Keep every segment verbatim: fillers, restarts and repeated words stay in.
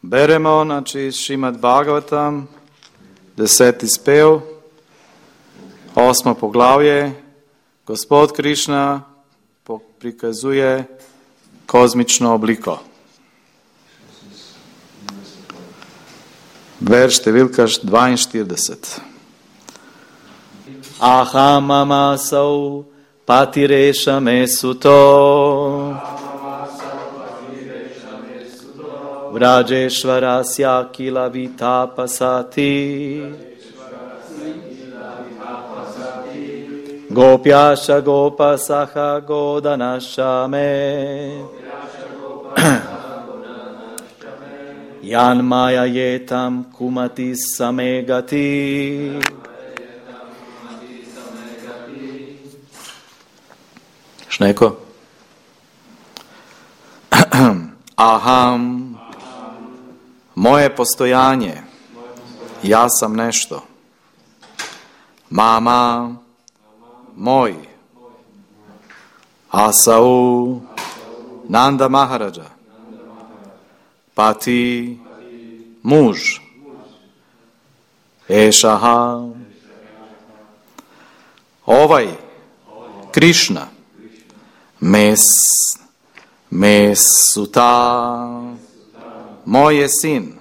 Beremo, znači Šrimad Bhagavatam, deseti spev, osmo poglavlje. Gospod Krišna prikazuje kozmično obliko. Verš številka dvainštirideset. Aham amasau patireša mesuto Vrajeshvarasya kila vitapasati Gopyasha gopasaha godanasha me Yan maya yetam kumati samegati. Šneko? Aham, moje postojanje, ja sam nešto. Mama, moj. Asau, Nanda Maharaja. Pati, muž. Ešaha, ovaj, Krišna. Mes, Mesuta, moj je sin.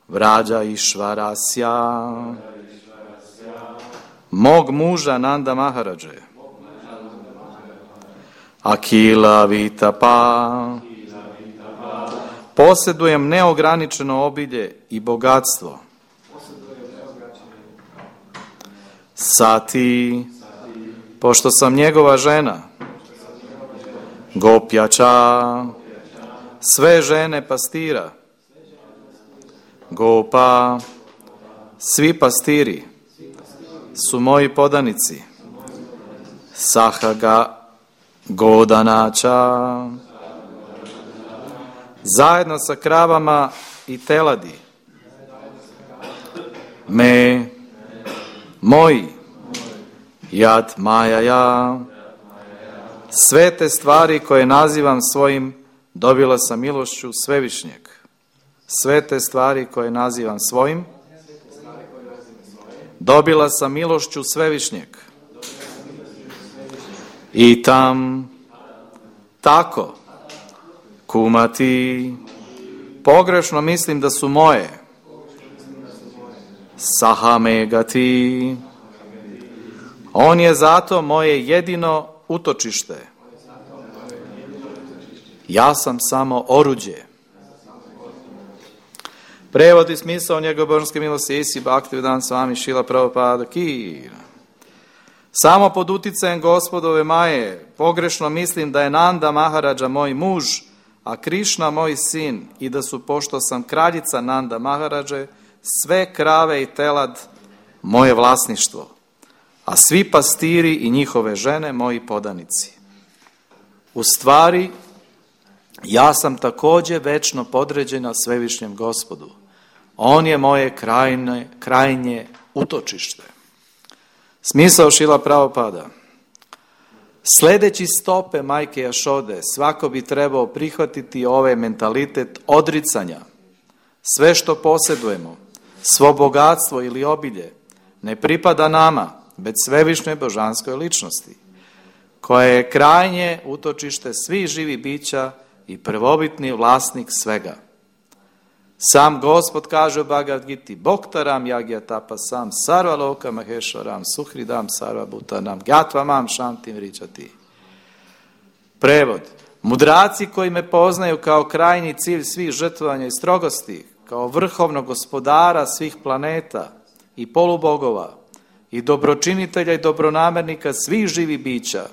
Vrađa Išvarasja, mog muža Nanda Maharađe. Akila Vitapa, posjedujem neograničeno obilje i bogatstvo. Sati, pošto sam njegova žena. Gopjača, sve žene pastira. Gopa, svi pastiri su moji podanici. Sahaga godanača, zajedno sa kravama i teladi. Me, moji, jad majaja, sve te stvari koje nazivam svojim, dobila sam milošću Svevišnjeg. Sve te stvari koje nazivam svojim, dobila sam milošću Svevišnjeg. I tam, tako, kumati, pogrešno mislim da su moje. Sahamegati, on je zato moje jedino utočište. Ja sam samo oruđe. Prevod i smisao njegove božanske milosti Isi Bhaktivedanta Swami Srila Prabhupada Ki. Samo pod uticajem Gospodove Maje pogrešno mislim da je Nanda Maharaja moj muž, a Krišna moj sin, i da su, pošto sam kraljica Nanda Maharađe, sve krave i telad moje vlasništvo, a svi pastiri i njihove žene moji podanici. U stvari, ja sam također večno podređena Svevišnjem Gospodu. On je moje krajnje, krajnje utočište. Smisao Šrila Prabhupada. Sledeći stope majke Jašode, svako bi trebao prihvatiti ovaj mentalitet odricanja. Sve što posjedujemo, svo bogatstvo ili obilje, ne pripada nama, već Svevišnjoj božanskoj ličnosti, koja je krajnje utočište svih živih bića i prvobitni vlasnik svega. Sam Gospod kaže u Bhagavad Giti: Bhoktaram yagya tapasam sarva loka maheshwaram suhridam sarva bhutanam gyatva shantim ričati. Prevod: mudraci koji me poznaju kao krajnji cilj svih žrtvovanja i strogosti, kao vrhovnog gospodara svih planeta i polubogova i dobročinitelja i dobronamernika svih živih bića,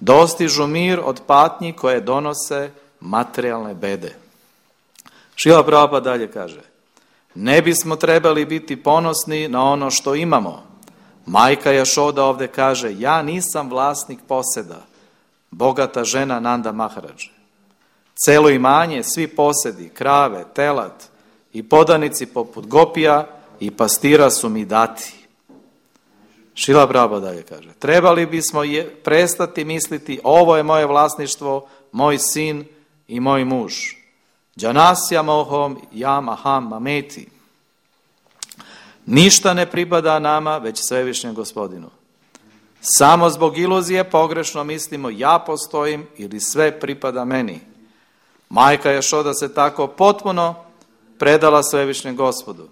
dostižu mir od patnji koje donose materijalne bede. Šrila Prabhupada dalje kaže: ne bismo trebali biti ponosni na ono što imamo. Majka Jašoda ovdje kaže: ja nisam vlasnik poseda, bogata žena Nanda Maharađe. Celo imanje, svi posedi, krave, telad i podanici poput gopija i pastira su mi dati. Šrila Prabhupada dalje kaže: trebali bismo je, prestati misliti ovo je moje vlasništvo, moj sin i moj muž. Džanasya mohom jam aham mameti. Ništa ne pripada nama, već svevišnjem Gospodinu. Samo zbog iluzije pogrešno mislimo ja postojim ili sve pripada meni. Majka Jašoda se tako potpuno predala svevišnjem Gospodu.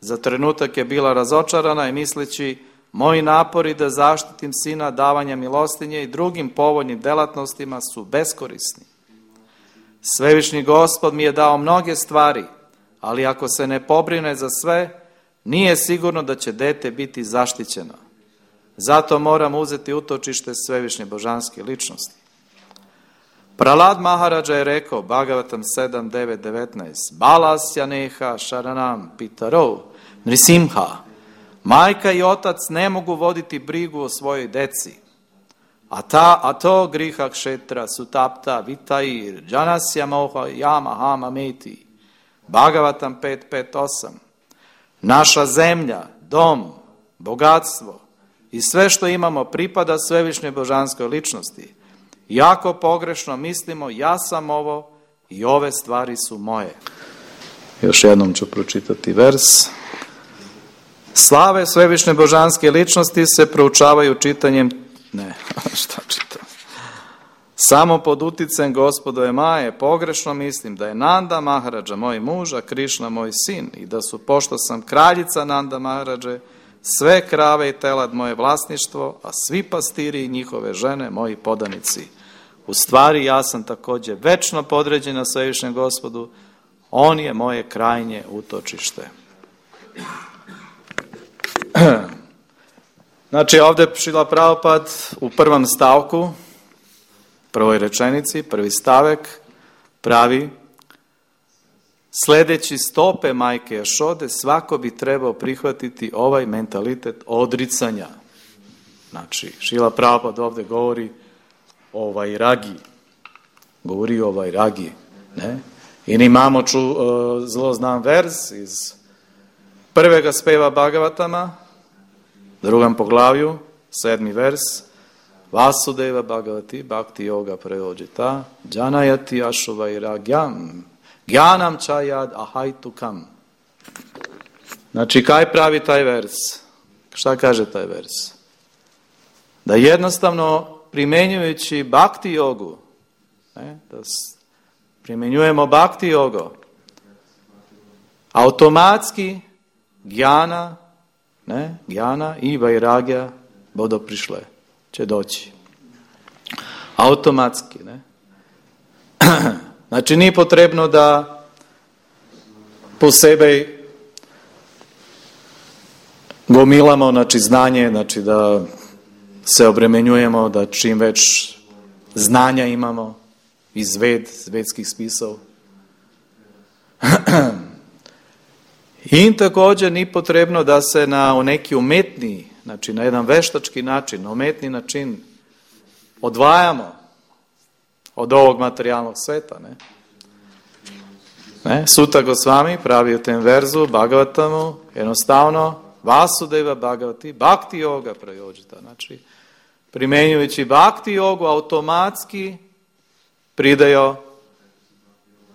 Za trenutak je bila razočarana i misleći moji napori da zaštitim sina davanja milostinje i drugim povoljnim delatnostima su beskorisni. Svevišnji Gospod mi je dao mnoge stvari, ali ako se ne pobrine za sve, nije sigurno da će dete biti zaštićeno. Zato moram uzeti utočište svevišnje božanske ličnosti. Prahlad Maharaja je rekao, Bhagavatam sedam devet devetnaest, Balasya neha sharanam pitarov nrisimha. Majka i otac ne mogu voditi brigu o svojoj deci. A, ta, a to griha kšetra sutapta vitair džanasya moha jama hama meti. Bhagavatam pet pet osam. Naša zemlja, dom, bogatstvo i sve što imamo pripada svevišnjoj božanskoj ličnosti. Jako pogrešno mislimo, ja sam ovo i ove stvari su moje. Još jednom ću pročitati vers. Slave svevišnje božanske ličnosti se proučavaju čitanjem, ne, šta čitam? Samo pod uticajem Gospodove Maje pogrešno mislim da je Nanda Maharaja moj muž, a Krišna moj sin i da su, pošto sam kraljica Nanda Maharađe, sve krave i telad moje vlasništvo, a svi pastiri i njihove žene moji podanici. U stvari ja sam također večno podređena svevišnjem Gospodu, on je moje krajnje utočište. Znači ovdje Šrila Prabhupada u prvom stavku, prvoj rečenici, prvi stavek, pravi sljedeći stope majke Jašode, svako bi trebao prihvatiti ovaj mentalitet odricanja. Znači, Šrila Prabhupada ovdje govori o vairagi. Govori o vairagi. Ne? I imamo ču, uh, zelo znan vers iz prvega speva Bhagavatama, drugom poglavlju, sedmi vers, Vasudeva Bhagavati Bhakti Yoga Prayojita Janayati Ashu Vairagyam Gyanam Chayad Ahaitukam. Znači, kaj pravi taj vers? Šta kaže taj vers? Da jednostavno primjenjujući Bhakti jogu, ne, da primjenjujemo Bhakti jogu, automatski Gyana, ne, Gyana i Vairagya bodo prišle. Će doći. Automatski, ne? Znači, nije potrebno da posebej gomilamo, znači, znanje, znači, da se obremenjujemo, da čim već znanja imamo iz ved, vedskih spisov. I također nije potrebno da se na neki umetni, znači na jedan veštački način, na umetni način odvajamo od ovog materijalnog sveta. Ne? Ne? Suta Gosvami pravi u tem verzu Bhagavatamu jednostavno Vasudeva Bhagavati Bhakti Yoga Prayojita. Znači, primjenjujući Bhakti jogu automatski pridajo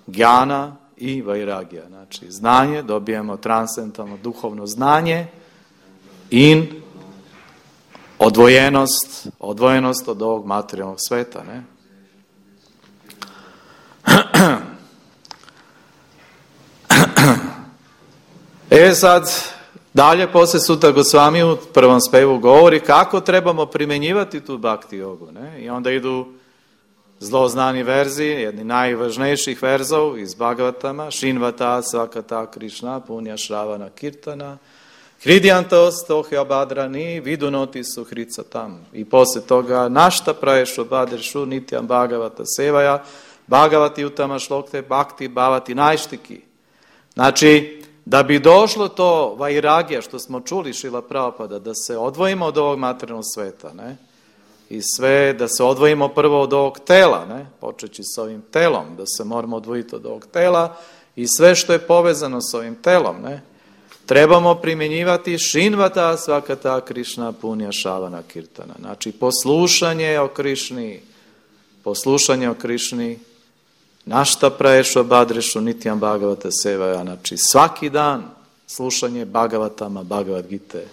Gyana i Vairagya. Znači, znanje, dobijemo transcendentalno duhovno znanje in odvojenost, odvojenost od ovog materijalnog sveta, ne? E sad, dalje poslije Suta Gosvami u prvom spevu govori kako trebamo primjenjivati tu Bhakti jogu, ne? I onda idu zlo znani verzi, jedni najvažnejših verzov iz Bhagavatama, Shinvata Svakata Krishna Punja Shravana Kirtana Hridyantos tohe abadrani vidunoti suhrica tam. I poslije toga našta praješu badršu nityam Bhagavata sevaja Bhagavati utama šlokte bhakti bhavati najštiki. Znači, da bi došlo to vairagija što smo čuli Šrila Prabhupada, da se odvojimo od ovog materijalnog sveta, ne? I sve, da se odvojimo prvo od ovog tela, ne? Počeći s ovim telom, da se moramo odvojiti od ovog tela i sve što je povezano s ovim telom, ne? Trebamo primjenjivati Shinvata Svakata Krishna Punja Šavana Kirtana. Znači, poslušanje o Krišni, poslušanje o Krišni Našta praješu badrešu nitjam Bhagavata sevaja. Znači svaki dan slušanje Bhagavatama, Bhagavad Gite.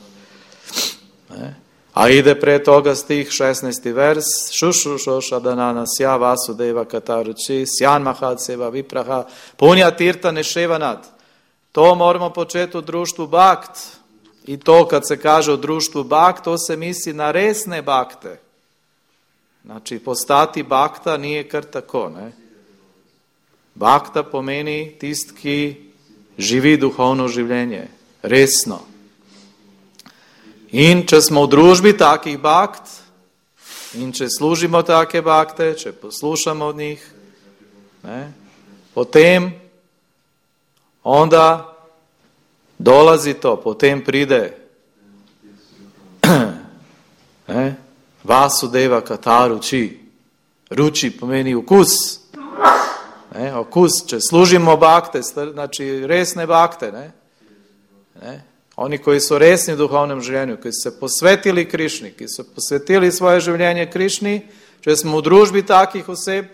Ne? A ide pre toga stih šesnaesti vers, šušu šošadanana sja vasudeva kataruči, sjan mahad seva vipraha, punja tirta neševanat. To moramo početi u društvu bakt. I to kad se kaže u društvu bakt, to se misli na resne bakte. Znači postati bakta nije kar tako, ne? Bakta pomeni tist, ki živi duhovno življenje, resno. In če smo v družbi takih bakt, in če služimo take bakte, če poslušamo od njih, ne, potem onda dolazi to, potem pride ne, Vasudeva Kataruči. Ruči pomeni okus. Ne, okus, če služimo bakte, znači resne bakte, ne, ne, oni koji su resni u duhovnom življenju, koji su se posvetili Krišni, ki su posvetili svoje življenje Krišni, če smo u družbi takih oseb,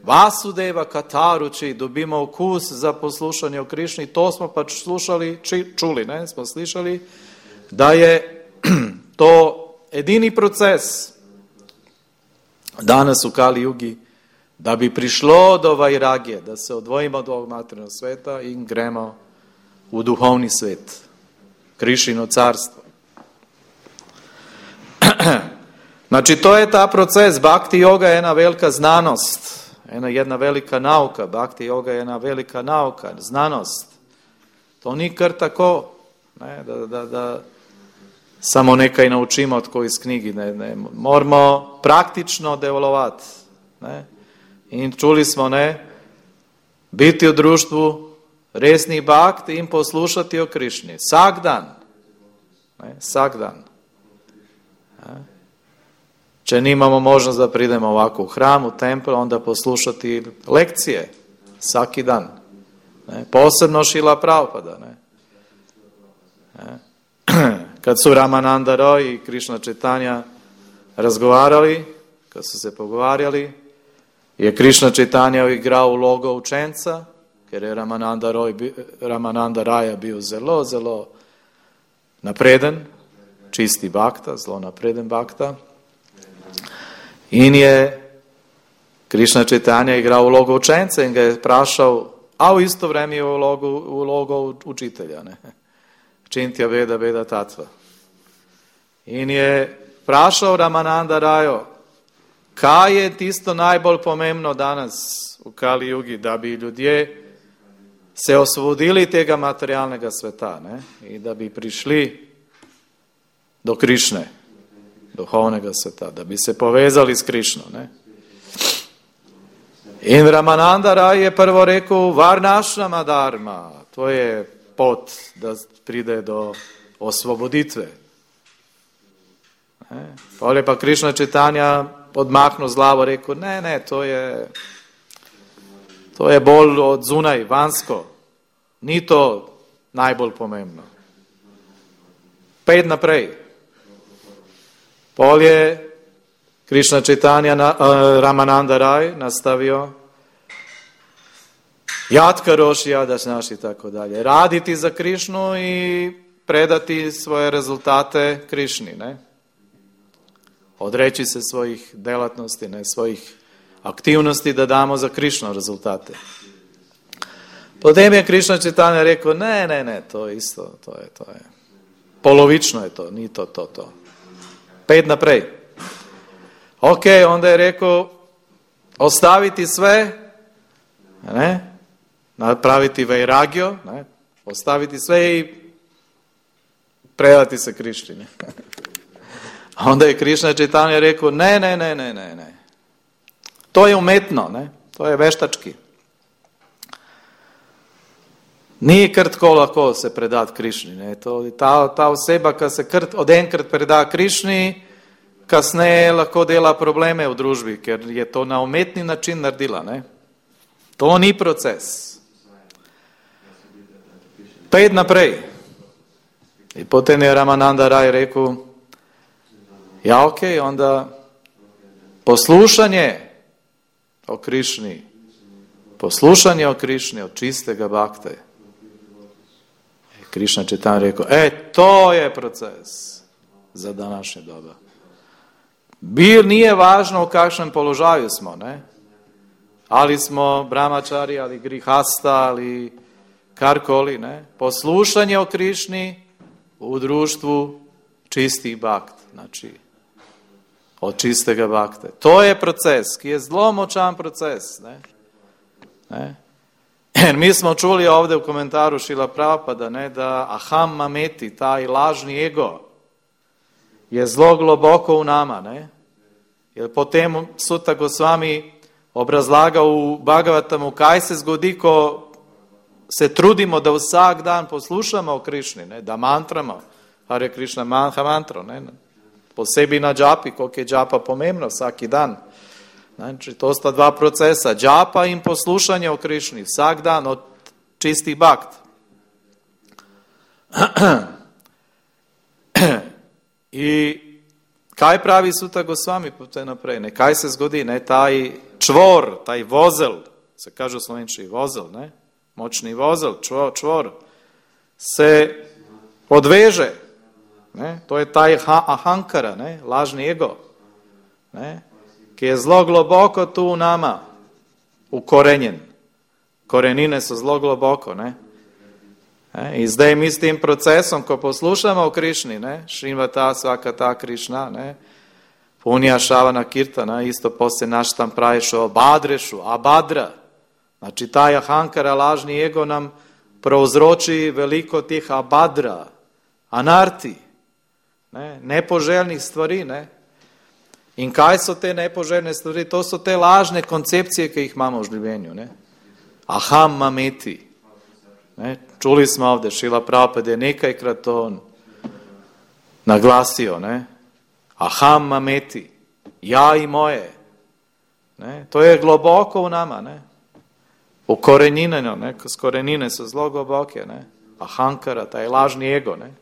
Vasudeva Kataruči, dobimo okus za poslušanje o Krišni, to smo pač slušali, čuli, ne, smo slišali, da je to edini proces danas u Kali Jugi, da bi prišlo do vajragije, da se odvojimo od ovog materijalnog sveta in gremo u duhovni svet, Krišino carstvo. Znači, to je ta proces. Bhakti yoga je jedna velika znanost, jedna, jedna velika nauka. Bhakti yoga je jedna velika nauka, znanost. To ni kar tako, ne, da, da, da samo nekaj naučimo od koji iz knjigi. Ne, ne. Moramo praktično delovati. Ne. In čuli smo, ne, biti u društvu resnih bakt in poslušati o Krišni. Vsak dan. Ne, vsak dan. Ne. Če nimamo možnost da pridemo ovako u hram, u tempel, onda poslušati lekcije. Svaki dan. Ne. Posebno Šila Prabhupada. Ne. Ne. Kad su Ramananda Roy i Krišna Čitanja razgovarali, kad su se pogovarjali, je Krišna Čitanja igrao ulogu učenca, ker je Ramananda, Roy, Ramananda Raja bio zelo, zelo napreden, čisti bakta, zelo napreden bakta. In je Krišna Čitanja igrao ulogu učenca in ga je prašal, a u isto vreme je ulogu, ulogu učitelja. Ne? Čintja veda, veda tatva. In je prašal Ramananda Rajo, kaj je tisto najbolj pomembno danas v Kali Jugi, da bi ljudje se osvobodili tega materialnega sveta, ne? In da bi prišli do Krišne, duhovnega sveta, da bi se povezali s Krišno. Ne? In Ramananda Raj je prvo rekel, Varnašrama dharma, to je pot, da pride do osvoboditve. Ne? Pole pa Krišna Čitanja odmahnul z glavo, rekel, ne, ne, to je, to je bolj od zunaj, vanjsko. Ni to najbolj pomembno. Pet naprej. Pol je Krišna Čitanja, na, uh, Ramananda Raj nastavio, jatka roši, jadaš naš i tako dalje. Raditi za Krišnu i predati svoje rezultate Krišni, ne? Odreći se svojih delatnosti, ne, svojih aktivnosti da damo za Krišno rezultate. Potem je Krišna Čitanja rekao, ne, ne, ne, to je isto, to je, to je. Polovično je to, ni to, to, to. Pet naprej. Ok, onda je rekao, ostaviti sve, ne, napraviti vajragio, ne, ostaviti sve i predati se Krišni, ne. Onda je Krišna Čitanja rekao, ne, ne, ne, ne, ne, ne. To je umetno, ne, to je veštački. Nije kar tako lahko se predati Krišni, ne, to, ta, ta oseba, ki se kar odenkrat preda Krišni, kasneje lahko dela probleme v družbi, ker je to na umetni način naredila, ne. To ni proces. Pet naprej. In potem je Ramananda Raj rekel, ja, ok, onda poslušanje o Krišni, poslušanje o Krišni, od čistega bakte. Krišna Čaitanj rekao, e, to je proces za današnje doba. Bil nije važno u kakšnem položaju smo, ne? Ali smo brahmačari, ali grihasta, ali karkoli, ne? Poslušanje o Krišni u društvu čistih bakt, znači od čistega bakte. To je proces, ki je zelo močan proces, ne? Ne? Jer mi smo čuli ovdje u komentaru Šrila Prabhupada, ne, da aham mameti, taj lažni ego, je zelo globoko u nama, ne? Jer potem Suta Gosvami obrazlaga u Bhagavatamu, kaj se zgodi, ko se trudimo da vsak dan poslušamo o Krišni, ne? Da mantramo, Hare Krišna manha mantro, ne? Posebej na džapi, koliko je džapa pomembno vsaki dan. Znači, to sta dva procesa, džapa in poslušanje o Krišni, vsak dan od čistih bakt. I kaj pravi Suta Gosvami potem naprej, ne? Kaj se zgodi, ne? Taj čvor, taj vozel, se kaže v slovenčini vozel, ne? Močni vozel, čvor, čvor, se odveže, ne? To je taj ahankara, ne? Lažni ego, ne? Ki je zelo globoko tu u nama, ukorenjen. Korenine so zelo globoko, ne? E, in zdaj mi s tem procesom, ko poslušamo o Krišni, ne? Šrimvata svakata Krišna, ne? Punja šavana kirtana, isto poslije naš tam pravišu abadrešu, abadra. Znači taj ahankara, lažni ego nam prouzroči veliko tih abadra, anarti, ne? Nepoželjnih stvari, ne? In kaj so te nepoželjne stvari? To so te lažne koncepcije, ki jih imamo v življenju, ne? Aham mameti. Ne? Čuli smo ovdje, Šrila Prabhupada je nekajkrat to naglasio, ne? Aham mameti. Ja i moje. Ne? To je globoko u nama, ne? Ukorenjeno, ne? Korenine su zelo globoke, ne? Ahankara, taj lažni ego, ne?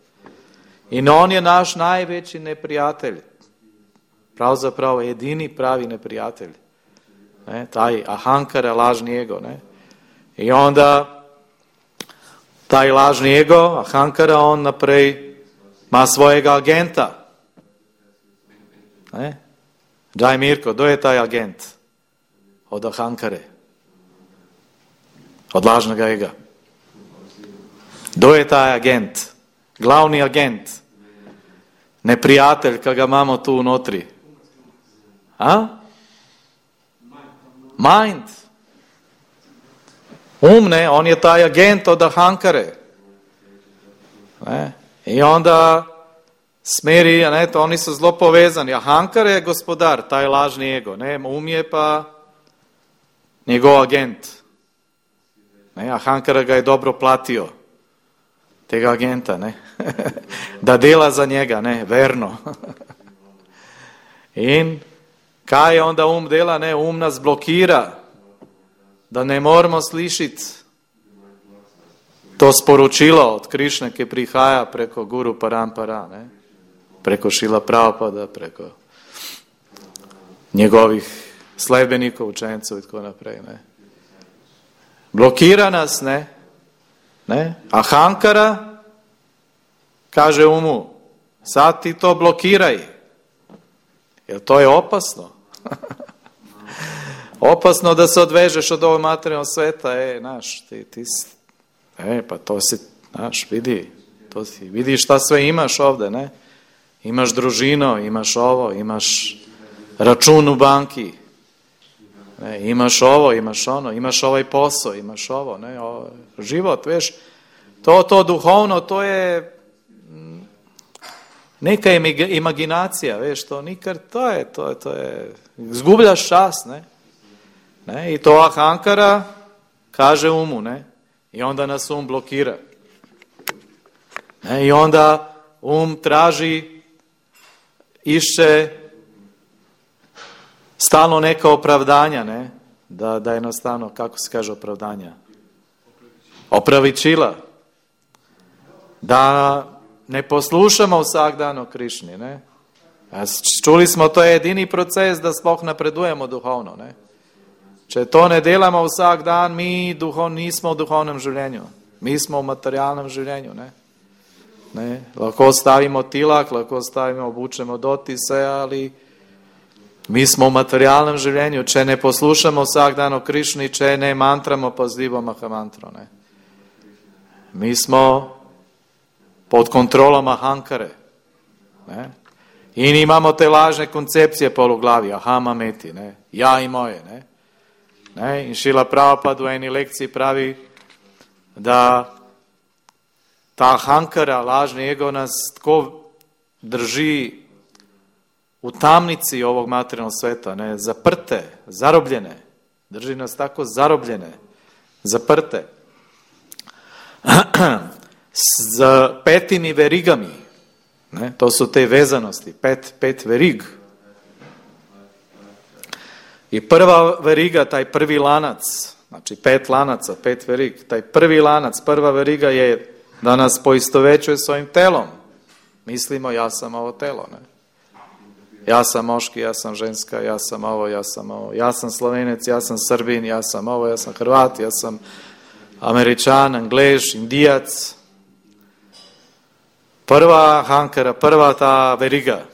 In on je naš najveći neprijatelj. Pravzaprav edini pravi neprijatelj. Ne? Taj ahankara, lažni ego, ne? I onda taj lažni ego, ahankara, on naprej ima svojega agenta. Ne? Daj Mirko, kdo je taj agent? Od ahankare. Od lažnega ega. Kdo je taj agent? Glavni agent. Neprijatelj, ki ga imamo tu unotri. A? Mind. Um, ne, on je taj agent od ahankare. Ne? I onda smeri, ne, to oni su zelo povezani. Ahankare je gospodar, taj lažni ego. Ne? Um je pa njegov agent. Ne? Ahankara ga je dobro platio. Tega agenta, ne? Da dela za njega, ne, verno. In kaj onda um dela, ne, um nas blokira, da ne moramo slišiti to sporočilo od Krišne, ki prihaja preko Guru Parampara, ne, preko Šrila Prabhupada, preko njegovih sledbenikov, učencev in tako naprej, ne. Blokira nas, ne, ne, ahankara kaže umu, sad ti to blokiraj, jer to je opasno. Opasno da se odvežeš od ovog materijalnog sveta, e, naš, ti, ti, e, pa to si, naš, vidi, to si, vidi šta sve imaš ovde, ne, imaš družino, imaš ovo, imaš račun u banki, ne, imaš ovo, imaš ono, imaš ovaj posao, imaš ovo, ne, ovo, život, veš, to, to duhovno, to je neka imaginacija, veš, to nikar, to je, to je, to je, zgubljaš čas, ne, ne, i to ahankara kaže umu, ne, i onda nas um blokira, ne, i onda um traži, išće stalno neka opravdanja, ne, da, da jednostavno, kako se kaže opravdanja, opravičila, da ne poslušamo vsak dan o Krišni, ne. Čuli smo, to je edini proces da sploh napredujemo duhovno, ne. Če to ne delamo vsak dan, mi duho, nismo v duhovnem življenju. Mi smo v materialnem življenju. Ne? Ne? Lahko stavimo tilak, lahko stavimo, obučemo dotise, ali mi smo v materialnem življenju. Če ne poslušamo vsak dan o Krišni, če ne mantramo pazljivo Mahamantro. Ne? Mi smo pod kontrolom Ahankare. Ne? In imamo te lažne koncepcije pol v glavi, aham ameti, ne? Ja i moje. Ne? Ne? In Šrila Prabhupada v eni lekciji pravi, da ta Ahankara, lažni ego, nas tako drži u tamnici ovog materijalnog sveta, ne? Zaprte, zarobljene. Drži nas tako zarobljene, zaprte. S petimi verigami. Ne? To su te vezanosti, pet, pet verig. I prva veriga, taj prvi lanac, znači pet lanaca, pet verig, taj prvi lanac, prva veriga je da nas poistovećuje s ovim telom. Mislimo, ja sam ovo telo. Ne? Ja sam moški, ja sam ženska, ja sam ovo, ja sam ovo. Ja sam Slovenec, ja sam Srbin, ja sam ovo, ja sam Hrvat, ja sam Američan, Angleš, Indijac. Prva Ahankara, prva ta veriga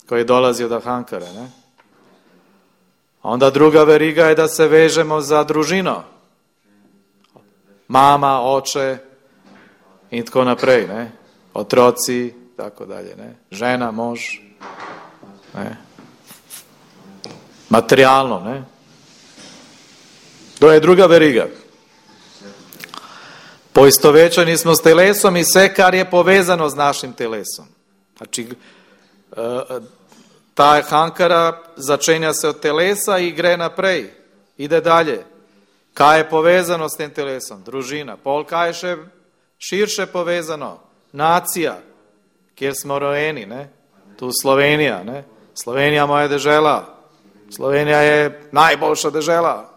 koja dolazi od Ahankara. Ne? Onda druga veriga je da se vežemo za družino. Mama, oče i tako naprej. Ne? Otroci, tako dalje. Ne? Žena, mož. Ne? Materijalno. Ne? To je druga veriga. Poistovećeni smo s telesom i sve kar je povezano s našim telesom. Znači, ta Ahankara začenja se od telesa i gre naprej. Ide dalje. Kaj je povezano s tem telesom? Družina. Pol kaj je še širše povezano? Nacija, kjer smo rojeni. Ne? Tu Slovenija. Ne? Slovenija moja dežela. Slovenija je najboljša dežela.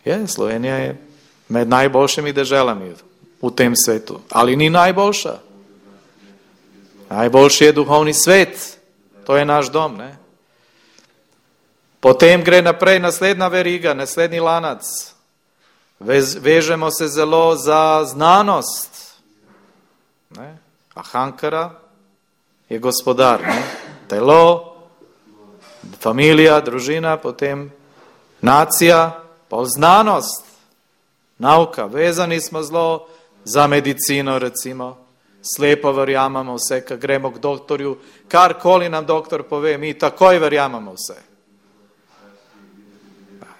Je, Slovenija je med najboljšimi deželami v tem svetu. Ali ni najboljša. Najboljši je duhovni svet. To je naš dom. Ne? Potem gre naprej naslednja veriga, naslednji lanac. Vez, vežemo se zelo za znanost. Ne? Ahankara je gospodar. Ne? Telo, familija, družina, potem nacija, pa znanost. Nauka, vezani smo zelo za medicino, recimo, slepo verjamemo vse, kad gremo k doktorju, karkoli nam doktor pove, mi takoj verjamemo vse.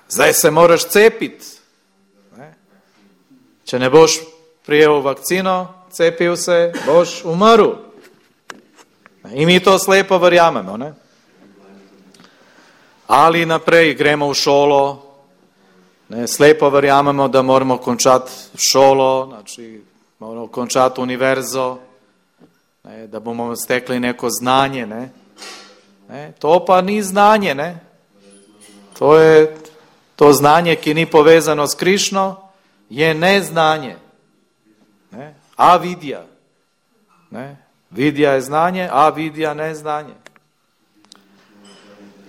Zdaj se moraš cepiti. Ne? Če ne boš prijel vakcino, cepil se, boš umrl. In mi to slepo verjamemo. Ne? Ali naprej gremo v šolo, ne, slepo verjamemo, da moramo končati šolo, znači moramo končati univerzo, ne, da bomo stekli neko znanje. Ne. Ne, to pa ni znanje. Ne. To je to znanje, ki ni povezano s Krišno, je neznanje. Ne. Avidja. Ne. Vidja je znanje, avidja neznanje.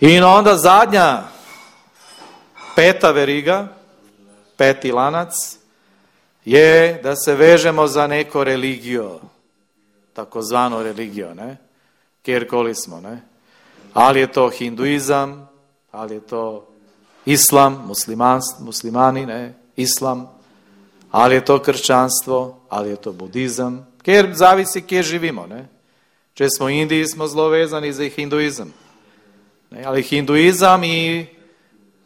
In onda zadnja peta veriga, peti lanac, je da se vežemo za neko religijo, takozvano religijo, ne? Kjerkoli smo. Ne? Ali je to hinduizam, ali je to islam, musliman, muslimani, ne? Islam, ali je to kršćanstvo, ali je to budizam, kjer zavisi kje živimo. Ne? Če smo u Indiji, smo zelo vezani za hinduizam. Ne? Ali hinduizam i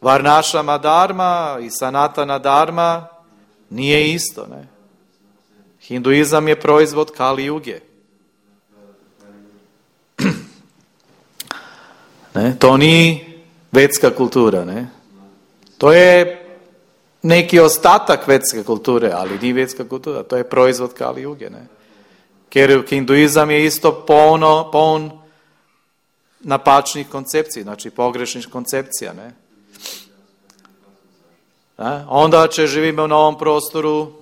Varnašama dharma i Sanatana dharma nije isto. Ne? Hinduizam je proizvod Kali Juge. Ne? To ni vedska kultura. Ne? To je neki ostatak vedske kulture, ali ni vedska kultura. To je proizvod Kali Juge. Ne? Ker hinduizam je isto polno, poln napačnih koncepcij, znači pogrešnih koncepcija. Ne? Ne? Onda, če živimo na ovom prostoru,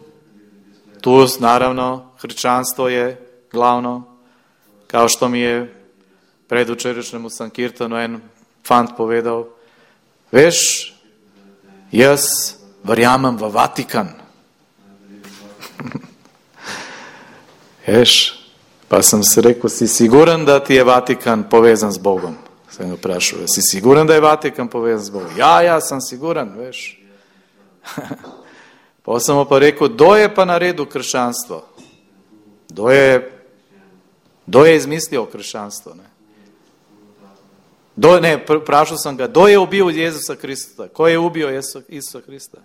tu naravno hrčanstvo je glavno, kao što mi je predvčerajšnjem u Sankirtanu en fant povedal, veš, Jaz verjamem v Vatikan. Veš, pa sem se rekel, si siguran, da ti je Vatikan povezan z Bogom? Sem ga vprašal, si siguran, da je Vatikan povezan z Bogom? Ja, ja, sem siguran, veš. Pa sem mu pa rekel, kdo je pa naredil krščanstvo? Kdo je, kdo je izmislil krščanstvo? Ne? Do, ne, vprašal sem ga, kdo je ubil Jezusa Krista? Ko je ubil Isusa Krista?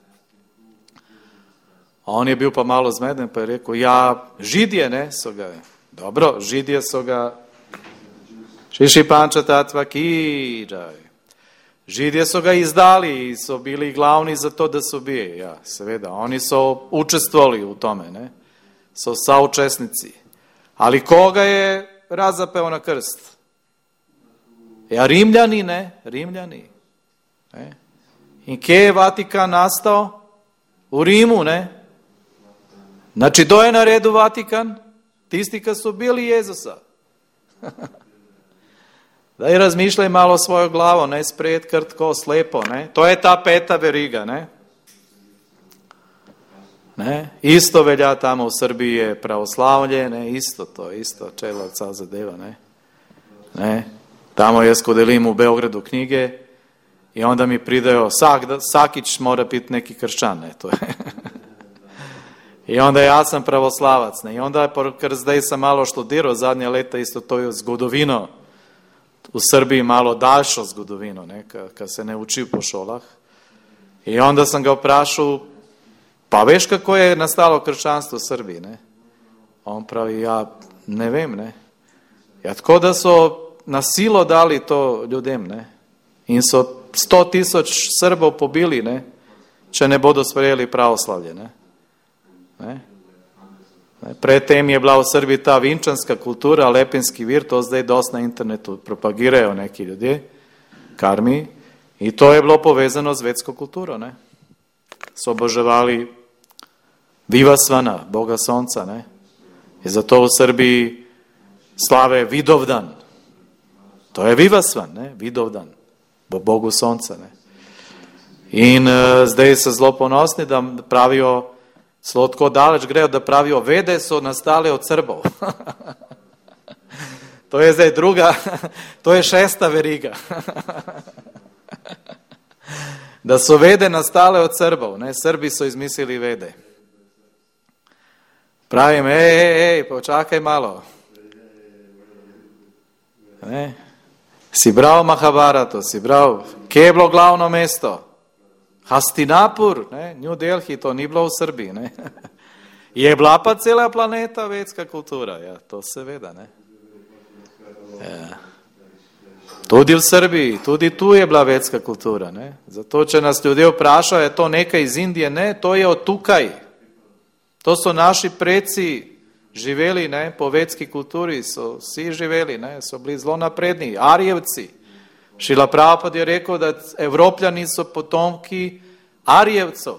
A on je bil pa malo zmeden, pa je rekel, ja, Židje, ne, so ga, dobro, Židje so ga, šiši panča tatva kiđaj. Židje so ga izdali i so bili glavni za to da se ubije, ja, seveda, oni so učestvovali u tome, ne, so saučesnici. Ali koga je razapeo na krst? Ja, Rimljani, ne, Rimljani. Ne. I kje je Vatikan nastao? U Rimu, ne. Znači, do je na redu Vatikan? Tisti kad su bili Jezusa. Daj razmišljaj malo svojo glavo, ne spred krtko, slepo, ne. To je ta peta veriga, ne. Ne. Isto velja tamo u Srbiji je pravoslavlje, ne, isto to, isto, čelavca zadeva, ne. Ne. Tamo je skodelim u Beogradu knjige i onda mi pridaju, sak, Sakić mora biti neki kršćan, ne, to je. I onda ja sam pravoslavac, ne, i onda ker zdaj sam malo študirao zadnje leta isto to je zgodovino, u Srbiji malo daljšo zgodovino, ne, kad se ne uči po šolah. I onda sam ga vprašao, pa veš kako je nastalo kršćanstvo u Srbiji, ne? On pravi, ja ne vem, ne. Ja tako da so na silo dali to ljudem, ne. In so sto tisoč Srbov pobili, ne, če ne bodo sprejeli pravoslavlje, ne. Ne. Predtem je bila v Srbiji ta vinčanska kultura, Lepinski vir, to zdaj dosti na internetu propagirajo neki ljudje, karmi, i to je bilo povezano z vedsko kulturo, ne. So oboževali Vivasvana, Boga Sonca, ne. I zato u Srbiji slave Vidovdan. To je Vivasvan, ne, Vidovdan, bo Bogu Sonca, ne. In uh, zdaj se zelo ponosni, da pravijo, zelo tako daleč grejo, da pravijo, vede so nastale od Srbov. To je zdaj druga, to je šesta veriga. Da so vede nastale od Srbov, ne, Srbi so izmislili vede. Pravim, ej, ej, ej, počakaj malo. Ne. Si bral Mahabharato, si bral, kje je bilo glavno mesto? Hastinapur, ne, New Delhi, to ni bilo v Srbiji, ne. Je bila pa cela planeta vedska kultura, ja, to seveda, ne. Ja. Tudi v Srbiji, tudi tu je bila vedska kultura, ne. Zato, če nas ljudje vprašajo, je to nekaj iz Indije, ne, to je od tukaj. To so naši preci živeli, ne, po vedski kulturi, so vsi živeli, ne, so bili zelo napredni, Arijevci. Šrila Prabhupada je rekel, da Evropljani so potomki Arijevcev.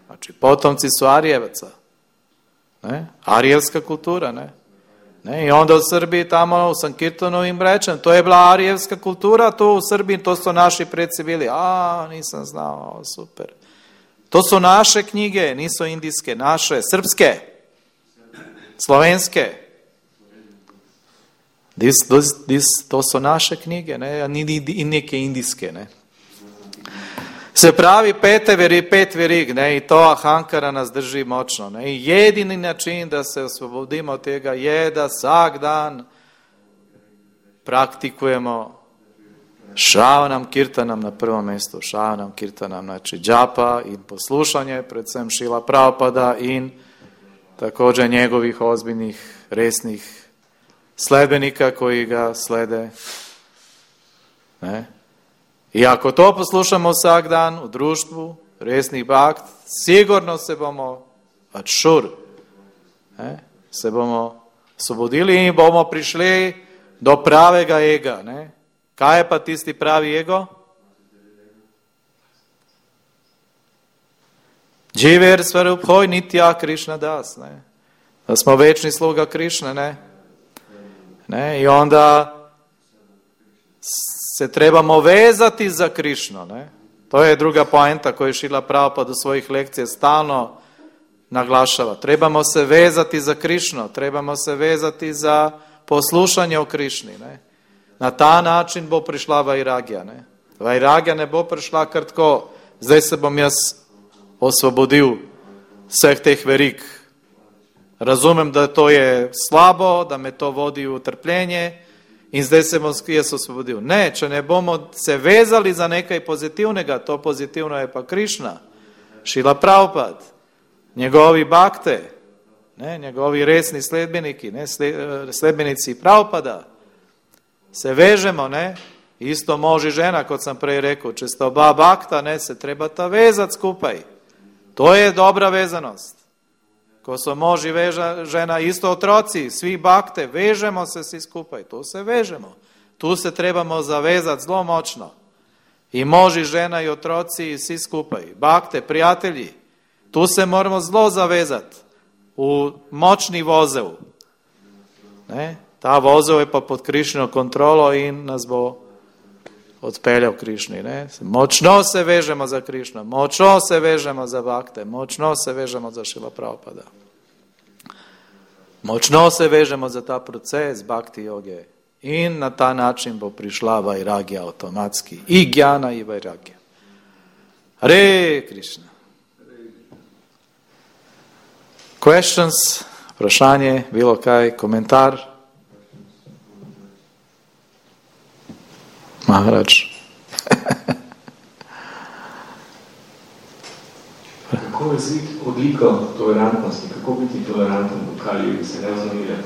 Znači, potomci su Arijevaca. Ne? Arijevska kultura, ne? Ne? I onda u Srbiji tamo u Sankirtonu im rečem, to je bila arijevska kultura, to u Srbiji, to su naši preci bili. A, nisam znao, super. To su naše knjige, nisu indijske, naše, srpske, slovenske. Dis, dis, dis, to su naše knjige, ne, ni, ni, i neke indijske, ne. Se pravi, pete veri, pet verig, ne, i to ahankara nas drži močno, ne, i jedini način da se osvobodimo od tega je da vsak dan praktikujemo Šravanam Kirtanam na prvom mjestu, Šravanam Kirtanam, znači džapa in poslušanje, predvsem Šrila Prabhupada in također njegovih ozbiljnih, resnih sledbenika koji ga slede. Ne? I ako to poslušamo vsak dan u društvu, resnih bakt, sigurno se bomo atšur, ne? Se bomo osvobodili in bomo prišli do pravega ega. Ne? Kaj je pa tisti pravi ego? Dživer svaruphoj nitja Krišna das. Ne? Da smo večni sluga Krišne, ne? Ne? I onda se trebamo vezati za Krišno. Ne? To je druga poenta koju Šrila Prabhupada u svojih lekcija stalno naglašava. Trebamo se vezati za Krišnu, trebamo se vezati za poslušanje o Krišni. Ne? Na ta način bo prišla Vairagija. Ne? Vairagija ne bo prišla kar tako, zdaj se bom jaz osvobodil vseh teh verik. Razumem, da to je slabo, da me to vodi v trpljenje in zdaj se bom jaz osvobodil. Ne, če ne bomo se vezali za nekaj pozitivnega, to pozitivno je pa Krišna, Šrila Prabhupada, njegovi bakte, ne, njegovi resni sledbeniki, ne, sledbenici Prabhupada, se vežemo, ne, isto može žena, kot sam prej rekel, če sta oba bakta, ne, se trebata vezati skupaj. To je dobra vezanost. Ko so mož i veža, žena, isto otroci, svi bakte, vežemo se svi skupaj, tu se vežemo. Tu se trebamo zavezati zelo močno. I mož i žena i otroci i svi skupaj. Bakte, prijatelji, tu se moramo zelo zavezati u močni vozev. Ne? Ta vozev je pa pod Krišno kontrolo in nas bo odpeljal Krišni. Ne? Močno se vežemo za Krišno, močno se vežemo za bakte, močno se vežemo za Šrila Prabhupada. Močno se vežemo za ta proces bhakti joge. In na ta način bo prišla Vairagija automatski. I Gjana i Vairagija. Hare Krishna. Questions, vprašanje, bilo kaj, komentar? Maharaj. Kako je zvik odliko tolerantnosti? Kako biti toleranten v Kaliju? Se ne vznemirjati?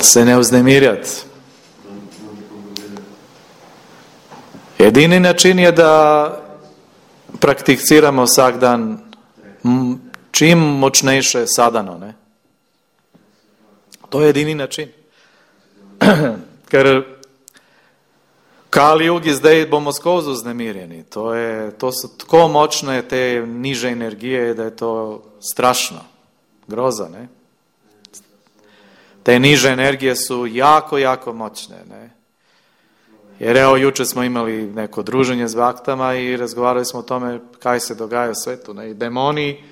Se ne vznemirjati. Edini način je da prakticiramo vsak dan čim močnejše sadano. Ne? To je edini način. Ker Kali Jugi zdaj bomo skozi vznemirjeni. To, je, to so tako močne te niže energije, da je to strašno. Groza, ne? Te niže energije su jako, jako moćne, ne? Jer evo, juče smo imali neko druženje s baktama i razgovarali smo o tome kaj se dogaja u svetu, ne? I demoni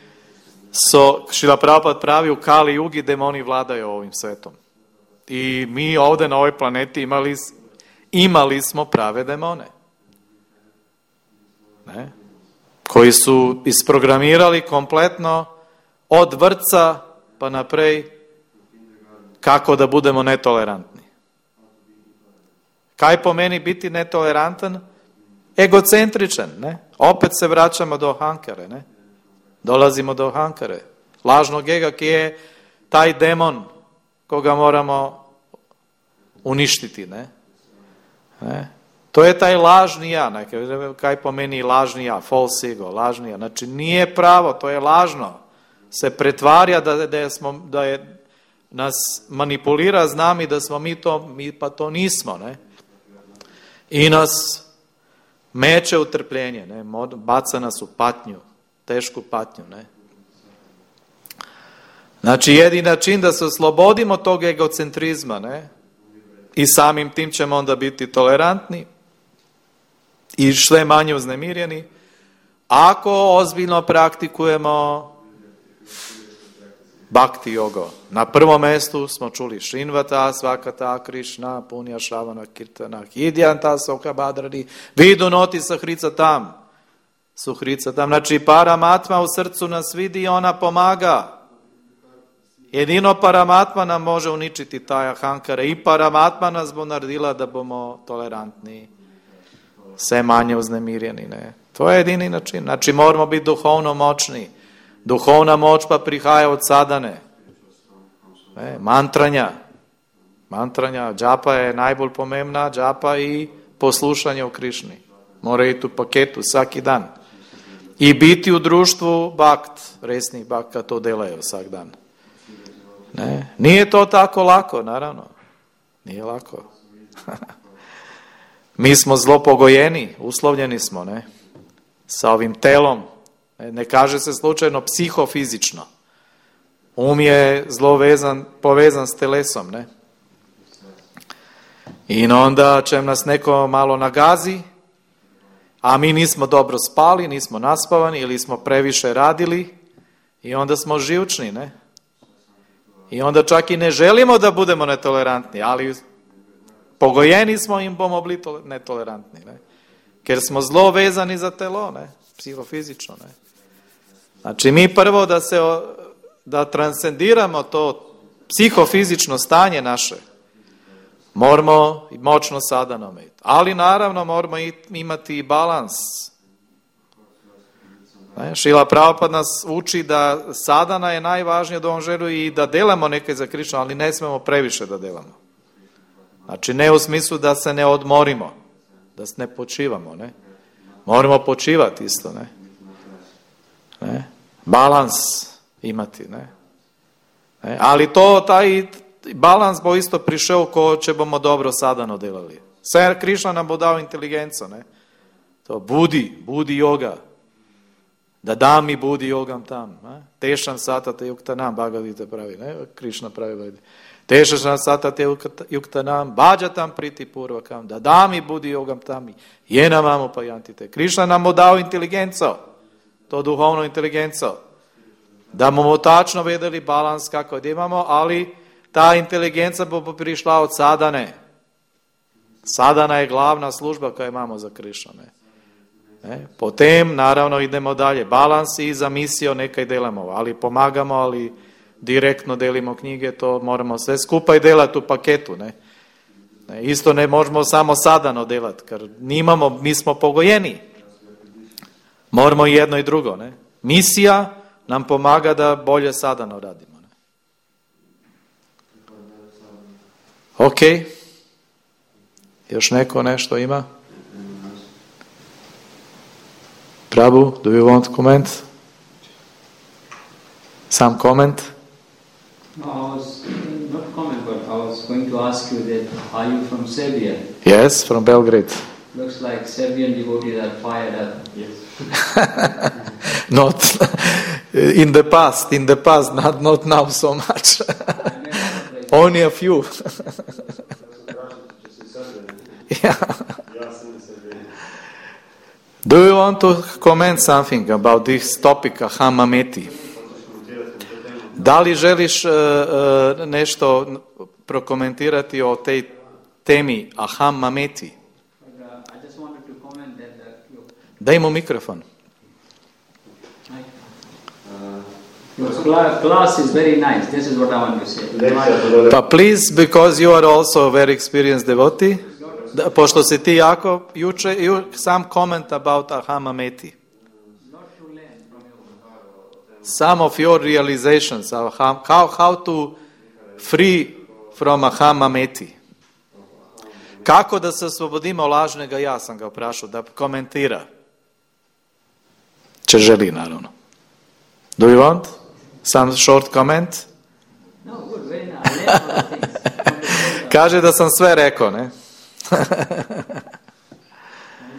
so, Šrila Prabhupada pravi, u Kali Jugi demoni vladaju ovim svetom. I mi ovdje na ovoj planeti imali imali smo prave demone. Ne? Koji su isprogramirali kompletno od vrtca pa naprej kako da budemo netolerantni. Kaj pomeni biti netolerantan? Egocentričan. Ne? Opet se vraćamo do Ahankare. Ne? Dolazimo do Ahankare. Lažnog ega, ki je taj demon koga moramo uništiti. Ne? Ne? To je taj lažni ja, ne? Kaj pomeni lažni ja, false ego, lažni ja. Znači nije pravo, to je lažno. Se pretvarja da, da, je smo, da je nas manipulira z nami, da smo mi to, mi pa to nismo. Ne? I nas meče u trpljenje, ne? Baca nas u patnju, tešku patnju. Ne? Znači jedini način da se oslobodimo tog egocentrizma, ne? I samim tim ćemo onda biti tolerantni i sve manje uznemirjeni. Ako ozbiljno praktikujemo bhakti jogo. Na prvom mjestu smo čuli Šrinvata, Svakata, Krišna, Punja, Šravana, Kirtana, Hidjanta, Soka, Badradi, Vidu, Noti, Sahrica tam. Suhrica tam. Znači Paramatma u srcu nas vidi i ona pomaga. Jedino Paramatma nam može uničiti taj Ahankare i Paramatma nas bo naredila da bomo tolerantni, sve manje uznemirjeni. Ne? To je jedini način. Znači moramo biti duhovno moćni. Duhovna moć pa prihaja od sadane. Ne? Mantranja. Mantranja. Džapa je najbolj pomembna. Džapa i poslušanje o Krišni. Mora iti u paketu svaki dan. I biti u društvu bakt. Resnih bakta to delaju vsak dan. Ne? Nije to tako lako, naravno. Nije lako. Mi smo zlo pogojeni, uslovljeni smo, ne? Sa ovim telom. Ne, ne kaže se slučajno psihofizično. Um je zlo vezan, povezan s telesom, ne? I onda će nas neko malo nagazi, a mi nismo dobro spali, nismo naspavani ili smo previše radili i onda smo živčni, ne? I onda čak i ne želimo da budemo netolerantni, ali pogojeni smo im bomo bili netolerantni, ne? Ker smo zelo vezani za telo, ne? Psihofizično, ne? Znači mi prvo da se da transcendiramo to psihofizično stanje naše, moramo moćno sadano imati. Ali naravno moramo imati i balans. Ne? Šila Prabhupada nas uči da sadana je najvažnije da on želi i da delamo nekaj za Krišnu, ali ne smemo previše da delamo. Znači ne u smislu da se ne odmorimo, da se ne počivamo, ne? Moramo počivati isto, ne? Ne? Balans imati, ne? Ne? Ali to, taj balans bo isto prišel, ko če bomo dobro sadano delali. Vse Krišna nam bo dal inteligenco, ne? To budi, budi yoga. Da da mi budi yogam tam. Ne? Tešan satate yuktanam, Bhagavad pravi, ne? Krišna pravi. Tešan satate yuktanam, bhajatam priti purvakam, da da mi budi yogam tam, jena mamu pa jantite. Krišna nam bo dal inteligenco, to duhovno inteligenco. Da bomo tačno vedeli balans kako da imamo, ali ta inteligenca bo prišla od sadane. Sadana je glavna služba koju imamo za Krišnu. Ne? Ne? Potem, naravno, idemo dalje. Balans i za misijo nekaj delamo, ali pomagamo, ali direktno delimo knjige, to moramo sve skupaj delati u paketu. Ne? Ne? Isto ne možemo samo sadano delati, ker nimamo, mi smo pogojeni. Moramo i jedno i drugo. Ne? Misija nam pomaga da bolje sadano radimo. Ne? Ok. Još neko nešto ima? Prabhu, do you want to comment? Some comment? No, I was, not comment, but I was going to ask you that, are you from Serbia? Yes, from Belgrade. Looks like Serbian devotees are fired up. Yes. Not in the past, in the past, not, not now so much. Only a few. Yeah. Do you want to comment something about this topic, Aham Mameti? Da li želiš uh, uh, nešto prokomentirati o tej temi Aham Mameti? Daj mu mikrofon. Your class is very nice. This is what I want to say. Pa please, because you are also a very experienced devotee, da, pošto si ti jako juče, you, some comment about Aham Mameti. Some of your realizations of how, how, how to free from Aham Mameti. Kako da se oslobodimo lažnega ja, sam ga prašao, da komentira. Če želi, naravno. Do you want some short comment? No, good, very nice. I learned all the things. Kaže da sam sve rekao, ne? I'm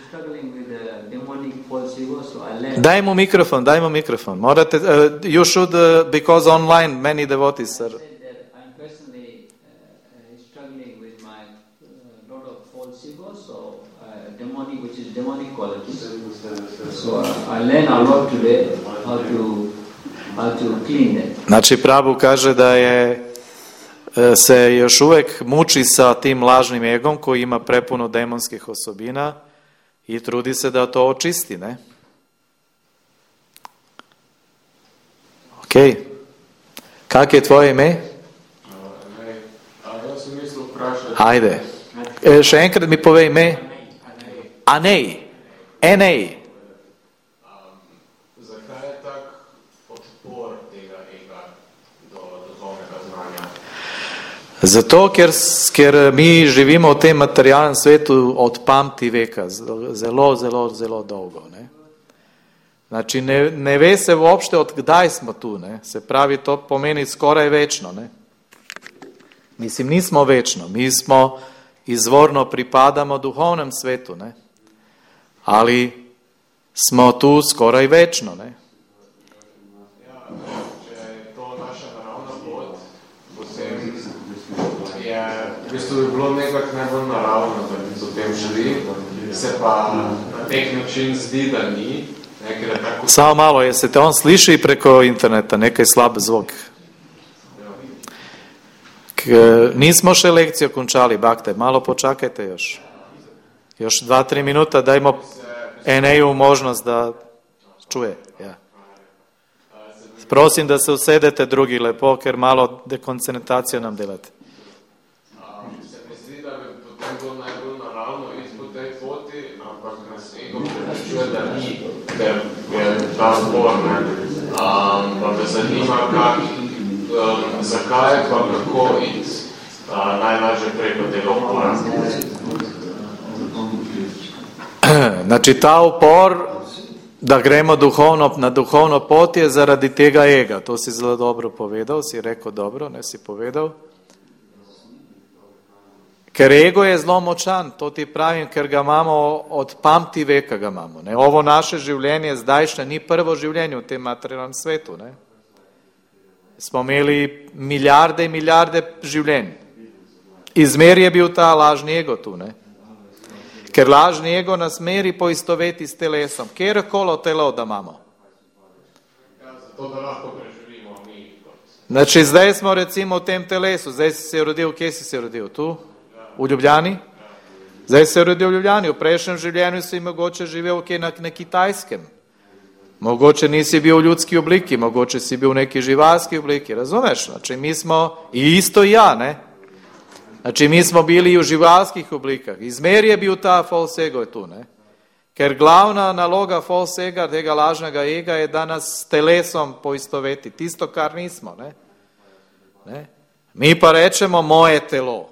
struggling with the demonic false ego, so I learned. Daj mu mikrofon, daj mu mikrofon. Morate, uh, you should, uh, because online many devotees are... I said that I'm personally uh, struggling with my uh, lot of false ego, so uh, demonic, which is demonic qualities. So uh, I learned a lot today how to how to clean that. Znači, Prabhu kaže da je se još uvek muči sa tim lažnim egom koji ima prepuno demonskih osobina i trudi se da to očisti, ne? Ok. Kak je tvoje ime? Ja sam mislil vprašati. Ajde. E, še enkrat mi povej ime. Anej. Enej. Zakaj je tak odpor tega ega do duhovnega znanja? Zato, ker, ker mi živimo v tem materialnem svetu od pamti veka, zelo, zelo, zelo dolgo. Ne? Znači, ne, ne ve se uopšte od kdaj smo tu. Ne? Se pravi, to pomeni skoraj večno. Ne? Mislim, nismo večno. Mi smo izvorno pripadamo duhovnem svetu. Ne? Ali smo tu skoraj večno. Ne? Ja, če je to naša naravna pot, potem je v bistvu bi bilo nekako najbolj naravno, da bi to tem želi, se pa nek način zdi, da ni. Nekaj tako... Samo malo, je se te on sliši preko interneta, nekaj slab zvok. K, nismo še lekcijo končali, bakte, malo počakajte još. Još dva, tri minuta, dajmo Eneju možnost da čuje. Ja. Prosim da se usedete drugi lepo, ker malo dekoncentracijo nam delate. Se mi zdi, da bi potem bilo najbolj naravno iti po tej poti, ampak nas ego prepričuje, da ni, ker je ta zbor, ne. Um, pa me zanima, kak, um, zakaj pa kako iti uh, najlažje preko tega upora. Znači ta upor, da gremo duhovno, na duhovno pot je zaradi tega ega. To si zelo dobro povedal, si rekel dobro, ne si povedal. Ker ego je zelo močan, to ti pravim, ker ga imamo od pamti veka ga imamo. Ne? Ovo naše življenje zdajšnje ni prvo življenje v tem materialnem svetu. Ne? Smo imeli milijarde in milijarde življenj. Izmer je bil ta lažni ego tu, ne? Ker lažni ego nas meri poistoveti s telesom. Kjerkolo telo da imamo. Ja, zato da lahko preživimo mi. Znači, zdaj smo recimo v tem telesu. Zdaj si se rodil, kje si se rodil? Tu? V Ljubljani? Zdaj si se rodil v Ljubljani. V prejšnjem življenju si mogoče živel kje na, na Kitajskem. Mogoče nisi bil v ljudski obliki, mogoče si bil v neki živalski obliki. Razumeš? Znači, mi smo, i isto ja, ne? Znači, mi smo bili v živalskih oblikah. Izmer je bil ta false ego tu, ne? Ker glavna naloga false ega, tega lažnega ega, je da nas s telesom poistoveti. Tisto, kar nismo, ne? Ne? Mi pa rečemo moje telo.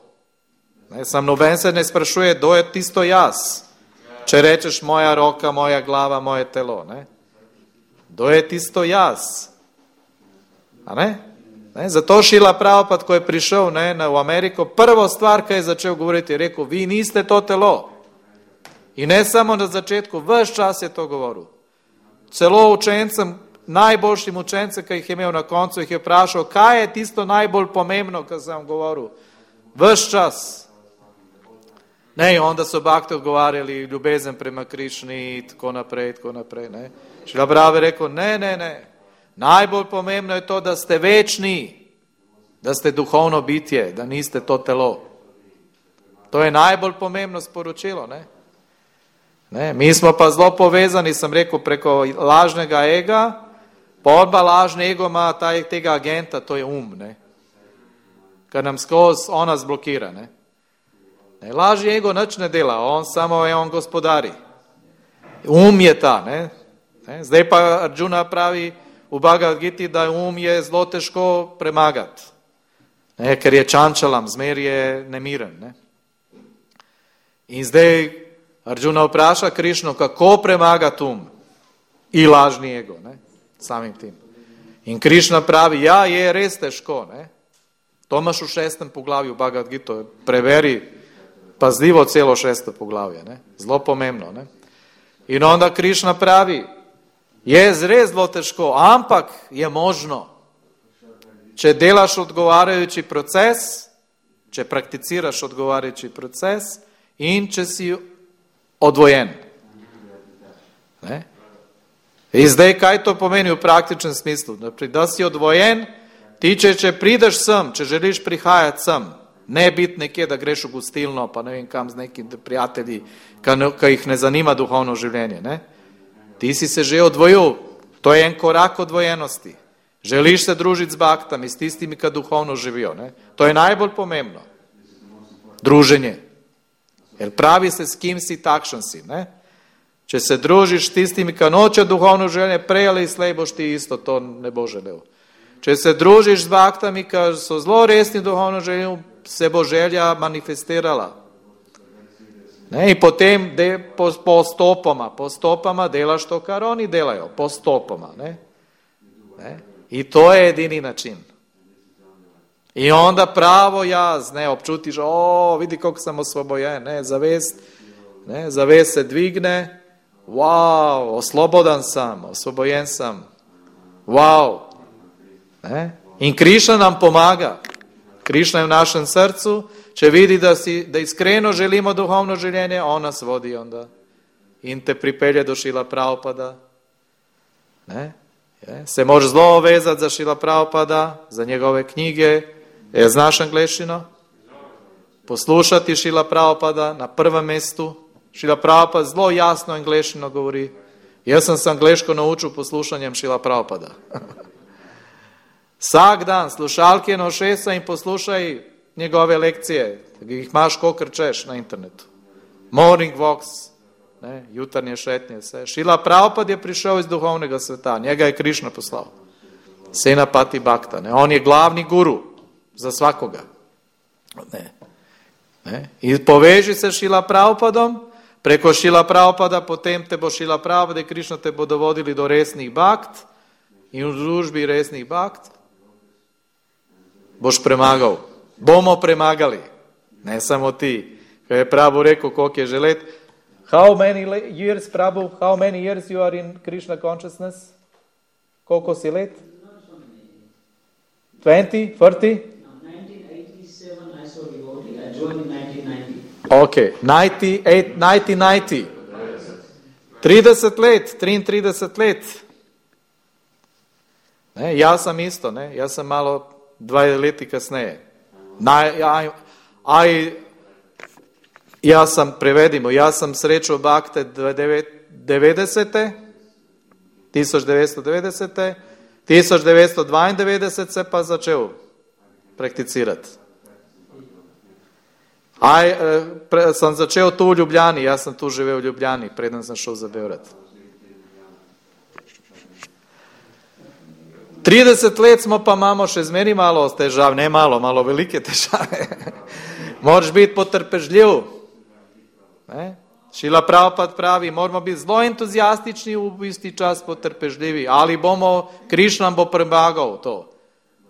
Ne? Sam noben se ne sprašuje, kdo je tisto jaz. Če rečeš moja roka, moja glava, moje telo, ne? Kdo je tisto jaz? A ne? Ne, zato Šila Prabhupada, ko je prišel ne, na, v Ameriko, prvo stvar, kaj je začel govoriti, je rekel, vi niste to telo. In ne samo na začetku, ves čas je to govoril. Celo učencem, najboljšim učencem, ki jih je imel na koncu, jih je vprašal, kaj je tisto najbolj pomembno, kar sem govoril. Ves čas. Ne, onda so bakte odgovarjali, ljubezen prema Krišni, tako naprej, tako naprej. Ne. Šila Prabhupada je rekel, ne, ne, ne. Najbolj pomembno je to, da ste večni, da ste duhovno bitje, da niste to telo. To je najbolj pomembno sporočilo, ne? Ne? Mi smo pa zelo povezani, sem rekel, preko lažnega ega, pa odba lažni ego ima taj, tega agenta, to je um, ne? Kar nam skozi ona zblokira, ne? Ne? Lažni ego nič ne dela, on samo je on gospodari. Um je ta, ne? Ne? Zdaj pa Arjuna pravi, v Bhagavad Giti, da um je zelo težko premagati, ne, ker je čančalam, zmer je nemiren. Ne. In zdaj Arjuna vpraša Krišno, kako premagati um in lažni ego, ne, samim tim. In Krišna pravi, ja, je res težko. Ne. To imaš v šestem poglavju Bhagavad Gita, preveri pazljivo celo šesto poglavje, ne. Zelo pomembno. Ne. In onda Krišna pravi, je res zelo težko, ampak je možno. Če delaš odgovarjajoči proces, če prakticiraš odgovarjajoči proces in če si odvojen. Ne? In zdaj, kaj to pomeni v praktičnem smislu? Da si odvojen, ti če, če prideš sem, če želiš prihajati sem, ne biti nekje, da greš v gostilno, pa ne vem kam z nekimi prijatelji, ki jih ne zanima duhovno življenje, ne? Ti si se že odvojil, to je en korak odvojenosti. Želiš se družiti z baktami, s tistimi, ki duhovno živijo. Ne? To je najbolj pomembno. Druženje. Jer pravi se, s kim si, takšen si. Ne? Če se družiš s tistimi, ki noče duhovno življenje, prej ali slej boš ti isto, to ne bo želel. Če se družiš z baktami, ki so zelo resni duhovno življenje, se bo želja manifestirala. Ne, in potem de, po, postopoma, postopoma delaš to, kar oni delajo, postopoma. Ne? Ne? In to je edini način. In onda pravo jaz, ne, občutiš, o, vidi, koliko sem osvobojen, ne, zavest, ne, zavest se dvigne, wow, oslobodan sam, osvobojen sam, wow. Ne? In Krišna nam pomaga. Krišna je v našem srcu, če vidi, da, si, da iskreno želimo duhovno življenje, on nas vodi onda. in te pripelje do Šila Prabhupada. Ne? Je? Se može zlo vezati za Šila Prabhupada, za njegove knjige. Je, znaš angleščino? Poslušati Šila Prabhupada na prvom mjestu. Šila Prabhupada zlo jasno angleščino govori. Ja sam se angleško naučil poslušanjem Šila Prabhupada. Vsak dan slušalke na ušesa in poslušaj njegove lekcije. Jih imaš kolikor češ na internetu. Morning walks, ne, jutarnje šetnje, vse. Šila Prabhupada je prišel iz duhovnega sveta. Njega je Krišna poslal. Senapati Bhakta. Ne. On je glavni guru za svakoga. Ne. Ne. I poveži se Šila Prabhupadom. Preko Šila Prabhupada, potem te bo Šila Prabhupada i Krišna te bo dovodili do resnih bakt i u družbi resnih bakt boš premagal. Bomo premagali. Ne samo ti. Kaj je Prabhu rekao koliko je že let. How many years, Prabhu, how many years you are in Krishna consciousness? Koliko si let? twenty, thirty? No, nineteen eighty-seven I saw devotee. I joined in nineteen ninety. Ok, ninety-eight, nineteen ninety. trideset let, trideset let. Ne, ja sam isto, ne, ja sam malo dva leti kasneje. Na, ja, aj, ja sam, prevedimo, ja sam srečao bakte devedesete, tisoč devetsto devedesete, tisoč devetsto dvaindevetdeset se pa začel prakticirati. Aj, pre, sam začel tu u Ljubljani, ja sam tu živel u Ljubljani, preden sam šel za Beograd. trideset let smo pa imamo še zmeri malo težav, ne malo, malo velike težave. Moraš biti potrpežljiv. Ne? Šila Prabhupada pravi, moramo biti zelo entuzijastični, v isti čas potrpežljivi, ali bomo, Krišna bo premagal to.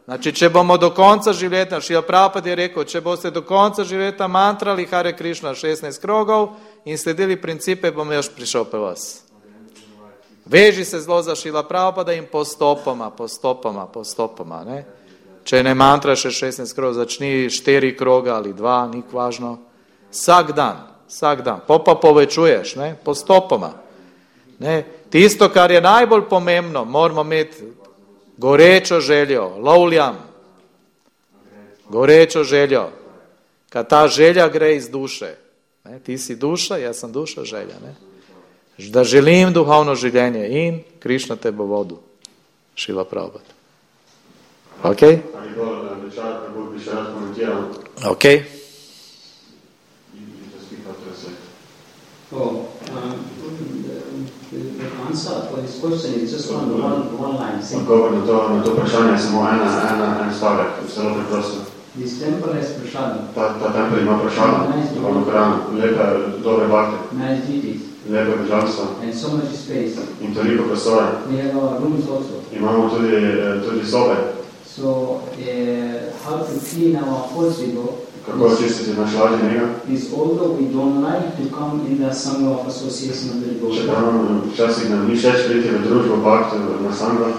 Znači, če bomo do konca življenja, Šila Prabhupada je rekel, če boste do konca življenja mantrali Hare Krišna šestnajst krogov in sledili principe, bom još prišel pe vas. Veži se zelo za Šila Prabhupada in postopoma, postopoma, postopoma. Ne? Če ne mantraš šestnajst krogov, začni štiri kroga ali dva, nik važno. Vsak dan, vsak dan. Po pa povečuješ, ne? Postopoma. Ne? Tisto, kar je najbolj pomembno, moramo imeti gorečo željo, lovljam. Gorečo željo. Kad ta želja gre iz duše. Ne? Ti si duša, ja sam duša, želja. Ne? Da želim duhovno življenje in Krišna te bo vodu. Šila Prabhupada. Ok? Ok. Oh, um, the, the answer for this question is just one, one, one line. Odgovor na to, na to vprašanje je samo ena, ena, en stavek, zelo preprosto. This temple has prasada. Ta, ta tempel ima prasada, duhovno hrano, lepe, dobre bakte, Nice deities. lepe božanstva And so much space. in toliko prostora. We have our rooms also. Imamo tudi, tudi sobe. So, uh, how to clean our false ego Kako očistiti naš lažni ego? is, although we don't like to come in the Sangha of Association of the Devotees, Čeprav včasih nam ni všeč priti v družbo bakte na Sangha,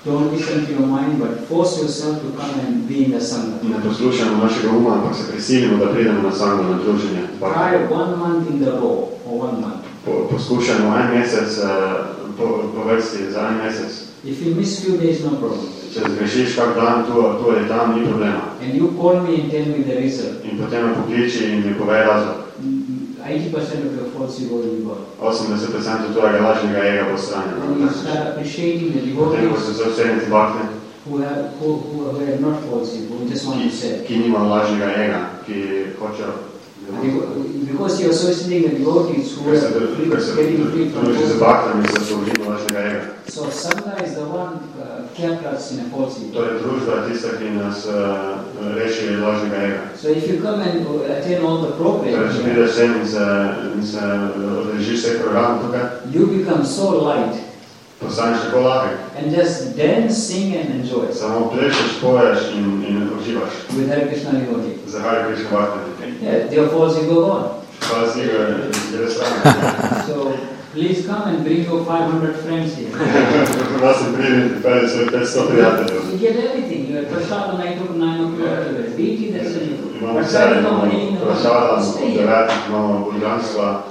don't listen to your mind, but force yourself to come and be in the Sangha. ne poslušamo našega uma, ampak se prisilimo, da pridemo na Sangha, na druženje bakte. Try one month in the row, or one month. Po, poskušajmo en mesec po, po vrsti za en mesec. If you miss few days, no problem. Če zgrešiš kak dan tu, tu ali tam, ni problema. And you call me and tell me the result. In potem me pokliči in mi povej razlog. eighty percent of your false ego will be gone. osemdeset odstotkov tvojega lažnega ega bo And you odstranjeno. start appreciating the Potem ko devotees se začenete bakte, who have, who, who have not false ego, who just want to say. ki nima lažnega ega, ki hočejo. Because you are associating the devotees who Ker se are free, getting free from druži z false baktami, se osvobodimo lažnega ega. ego. So Sangha is the one uh, kept us in a false ego. Torej družba je tista, ki nas uh, reši lažnega ega. So if you come and attend all the Torej, če programs, prideš sem in se, in se odrežiš vse programe tukaj, you become so light postaneš tako lahek. and just dance, sing and enjoy Samo plešeš, poješ in, in uživaš. with Hare Krishna devotee. Za Hare Krishna bakte. Yeah, their false ego gone. Hvala si ga, gre strane. So please come and bring your five hundred friends here. Vas se pridi, peli svoj petsto prijateljev. You get everything. You have prasad night of nine o'clock. Deity that's in you. Imamo vse, Prasad imamo no meaning. prašada, Stay imamo here. devetih, imamo božanstva,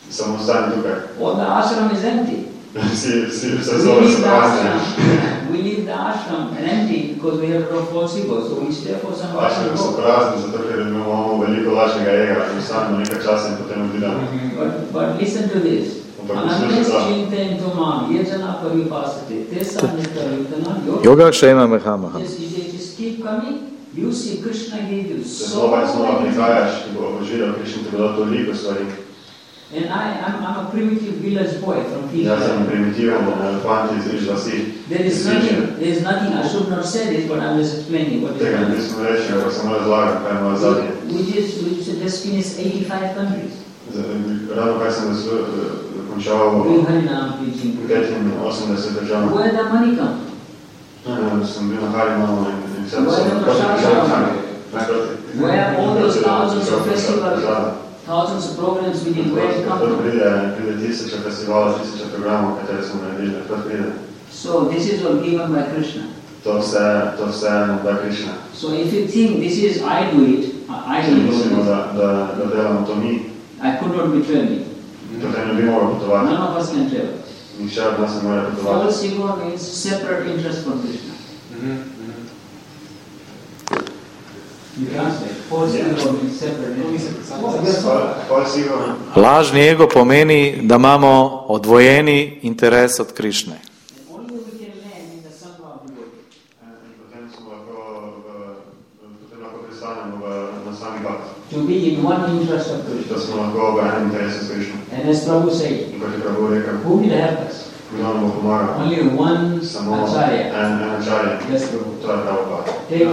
Samo ostani tukaj. All the ashram is empty. Vsi, vsi, vse We zove leave so the prazni. ashram. We leave the ashram and empty because we have a lot of false ego. So we stay for some time. Ašrami so prazni, zato ker imamo veliko lažnega ega in ostanemo nekaj časa in potem odidemo. But, but listen to this. Anandes chinten tumam yajana paripasate tesa nita yutana Yoga Kshema Mahamaha. Just, you just keep coming. You see Krishna gave you so Znova in znova many prihajaš, ki bo obožiral Krišna ti bo dal toliko stvari. And I, I'm, I'm a primitive village boy from Jaz sem Fiji. primitiven fant iz iz vasi. There is nothing, there is nothing, I should not say this, but I'm just explaining what is Tega happening. nismo reči, ampak samo razlagam, kaj je moja zadnje. We just, we just finished eighty-five countries. Ravno kaj sem dokončal Doing Harinam preaching. petinosemdeset držav. Where the money come? Sem bil na Harinama in vse Where the prasad come? Where all those thousands of festivals, thousands of programs we did, where it come Odkot from? pride, pride tisoče festivalov, tisoče programov, katere smo naredili, odkot pride. So this is all given by Krishna. To vse, to vse nam da Krišna. So if you think this is I do it, I Če will mislimo, do it, da, da, da delamo to mi, I could not be traveling. potem ne bi mogel potovati. None of us can travel. Nihče od nas ne more potovati. False ego means separate interest from Krishna. You translate. False ego means separate interest. Oh, yes, sir. False ego. Lažni ego pomeni, da imamo odvojeni interes od Krišne. And only we can land in the Sangha of devotee. Potem smo lahko, potem lahko pristanemo na sami bak. To be in one interest of Krishna. Da smo lahko v enem interesu s Krišno. And as Prabhu said, In kot je Prabhu rekel, who will help us? kdo nam bo pomagal? Only one Samo Acharya. en, en Acharya. Yes, Prabhu. To je Prabhupada. Take,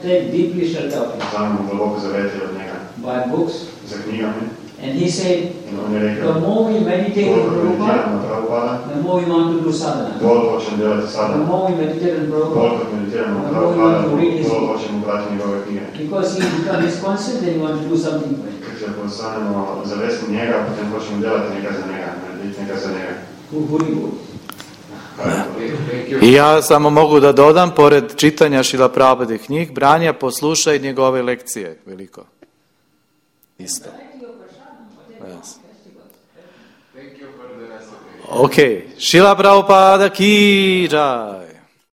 take deeply shelter of him. Vzamemo globoko zavetje od njega. By books. Za knjigami. And he said, In on je rekel, the more we meditate on koliko meditiram Prabhupada, na Prabhupada, the more we want to do sadhana. bolj hočem delati The sadhana. more we meditate on Bolj Prabhupada, kot meditiram na the more we Prabhupada, want to read his bolj book. hočem brati njegove knjige. Because he becomes his concept, then we want to do something for him. Ker če postanemo zavestni njega, potem hočemo delati nekaj za njega, narediti nekaj za njega. Who Huri Bol. I ja samo mogu da dodam, pored čitanja Šrila Prabhupadih knjig, Branja, poslušaj njegove lekcije, veliko. Isto. Yes. Thank you for the recipe. Ok, Šrila Prabhupada ki jai.